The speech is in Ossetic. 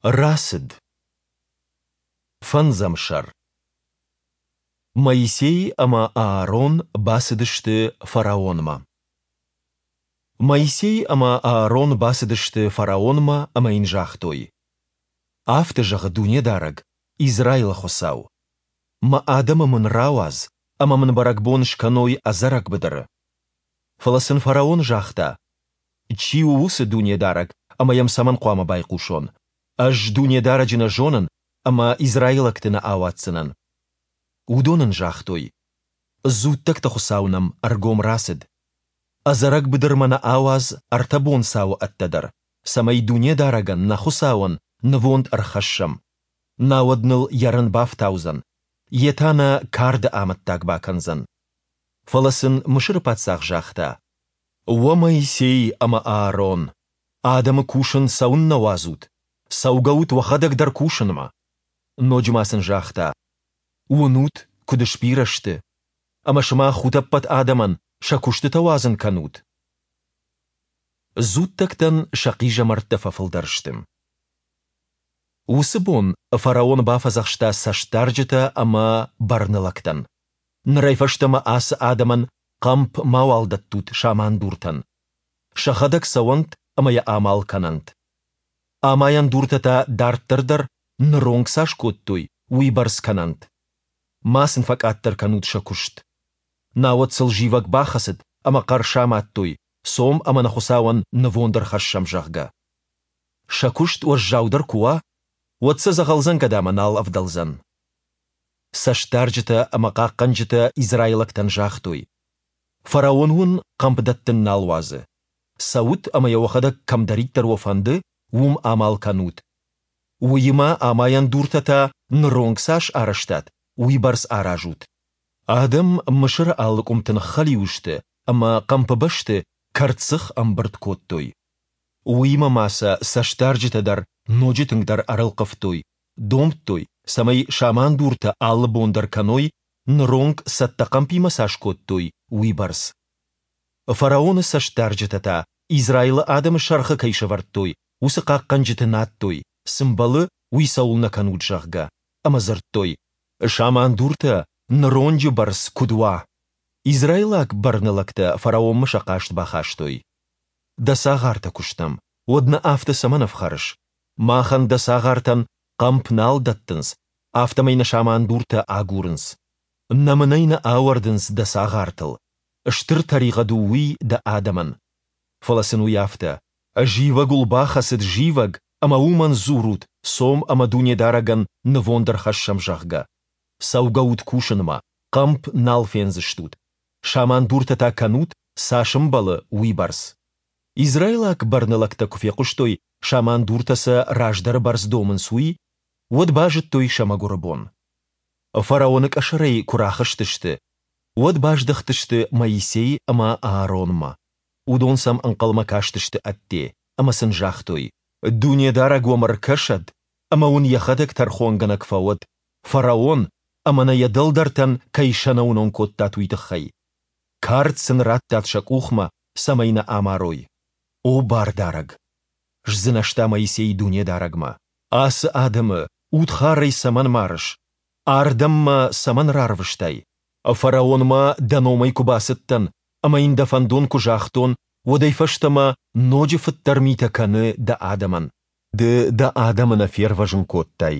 Рацыд. Фӕндзӕм сӕр. Моисей ӕмӕ Аарон бацыдысты фараонмӕ. Моисей ӕмӕ Аарон бацыдысты фараонмӕ ӕмӕ йын загътой: Афтӕ зӕгъы Дунедарӕг, Израилы Хуыцау: Мӕ адӕмы мын рауадз, ӕмӕ мын бӕрӕгбон скӕной ӕдзӕрӕг быдыры. Фӕлӕ сын фараон загъта: Чи у уыцы Дунедарӕг ӕмӕ йӕм цӕмӕн хъуамӕ байхъусон? Ӕз Дунедарӕджы нӕ зонын ӕмӕ израилӕгты нӕ ауадздзынӕн. Уыдон ын загътой: Дзуттӕгты Хуыцау нӕм ӕргом рацыд. Ӕдзӕрӕг быдырмӕ нӕ ауадз ӕртӕ бонцауы ӕддӕдӕр, цӕмӕй Дунедарӕгӕн, нӕ Хуыцауӕн, нывонд ӕрхӕссӕм. Науӕд ныл йӕ рын бафтаудзӕн, йе та нӕ карды амӕттаг бакӕндзӕн. Фӕлӕ сын Мысыры паддзах загъта: Уӕ Моисей ӕмӕ Аарон, адӕмы кусын цӕуыннӕ уадзут? Цӕугӕут уӕхӕдӕг дӕр кусынмӕ! Ноджы ма сын загъта: Уынут, куыд сбирӕ сты? Ӕмӕ сымах утӕппӕт адӕмӕн сӕ куыстытӕ уадзын кӕнут? Дзуттӕгтӕн сӕ хъизӕмӕрттӕ фӕфылдӕр сты. Уыцы бон фараон бафӕдзӕхста цӕстдарджытӕ ӕмӕ бӕрнылӕгтӕн: Нырӕй фӕстӕмӕ ацы адӕмӕн хъӕмп мауал дӕттут самандуртӕн. Сӕхӕдӕг цӕуӕнт ӕмӕ йӕ амал кӕнӕнт. Амайӕн дуртӕ та дарддӕр дӕр, ныронг цас кодтой, уыйбӕрц кӕнӕнт. Ма сын фӕкъаддӕр кӕнут сӕ куыст. Науӕд сыл зивӕг бахӕцыд ӕмӕ хъӕр самадтой, цом ӕмӕ нӕ Хуыцауӕн нывонд ӕрхӕссӕм, зӕгъгӕ. Сӕ куыст уӕззаудӕр куы уа, уӕд сӕ дзӕгъӕлдзӕнгӕдамӕ нал ӕвдӕлдзӕн. Цӕстдарджытӕ ӕмӕ хъахъхъӕнджытӕ израилӕгтӕн загътой: Фараон уын хъӕмп дӕттын нал уадзы. Цӕут ӕмӕ йӕ уӕхӕдӕг кӕмдӕриддӕр уӕ фӕнды, уым амал кӕнут. Уыимӕ амайӕн дуртӕ та ныронг цас арӕзтат, уыйбӕрц аразут. Адӕм Мысыры алы къуымты ныххӕлиу сты ӕмӕ хъӕмпы бӕсты кӕрддзых ӕмбырд кодтой. Уыимӕ ма сӕ цӕстдарджытӕ дӕр ноджы тынгдӕр ӕрӕлхъывтой, домдтой, цӕмӕй самандуртӕ алы бон дӕр кӕной, ныронг цӕттӕ хъӕмпимӕ цас кодтой, уыйбӕрц. Фараоны цӕстдарджытӕ та, Израилы адӕмы сӕргъы кӕй сӕвӕрдтой, уыцы хъахъхъӕнджыты надтой, цы мбӕлы, уый цӕуылнӕ кӕнут, зӕгъгӕ, ӕмӕ дзырдтой, Самандуртӕ ныронджы бӕрц куыд уа! Израилаг бӕрнылӕгтӕ фараонмӕ сӕ хъаст бахастой. Дӕ цагъартӕ куы стӕм, уӕд нӕ афтӕ цӕмӕн ӕфхӕрыс? Махӕн дӕ цагъартӕн хъӕмп нал дӕттынц, афтӕмӕй нӕ самандуртӕ агурынц. Нӕмынӕй нӕ ауӕрдынц дӕ цагъартыл. Стыр тӕригъӕд у уый дӕ адӕмӕн. Фӕлӕ сын уый афтӕ, Зивӕг уыл бахӕцыд, зивӕг, ӕмӕ уымӕн дзурут, цом ӕмӕ Дунедарӕгӕн нывонд ӕрхӕссӕм, зӕгъгӕ. Цӕугӕут кусынмӕ, хъӕмп нал фендзыстут. Самандуртӕ та кӕнут, цас ӕмбӕлы, уыйбӕрц. Израилаг бӕрнылӕгтӕ куы фехъуыстой, самандуртӕ сӕ раздӕры бӕрц домынц, уый, уӕд базыдтой сӕ мӕгуыры бон. Фараоны къӕсӕрӕй куы рахызтысты, уӕд баздӕхтысты Моисей ӕмӕ Ааронмӕ. Уыдон сӕм ӕнхъӕлмӕ кастысты ӕдде ӕмӕ сын загътой: Дунедарӕг уӕм ӕркӕсӕд ӕмӕ уын йӕхӕдӕг тӕрхонгӕнӕг фӕуӕд, фараон ӕмӕ нӕ йӕ дӕлдӕртӕн кӕй сӕнӕуынон кодтат, уый тыххӕй. Кард сын раттат сӕ къухмӕ, цӕмӕй нӕ амарой. О Бардарӕг! сдзынӕзта Моисей Дунедарӕгмӕ. Ацы адӕмы удхарӕй цӕмӕн марыс? Ардӕм мӕ цӕмӕн рарвыстай? Фараонмӕ дӕ номӕй куы бацыдтӕн ӕмӕ йын дӕ фӕндон куы загътон, уӕдӕй фӕстӕмӕ ноджы фыддӕр митӕ кӕны дӕ адӕмӕн. Ды дӕ адӕмы нӕ фервӕзын кодтай.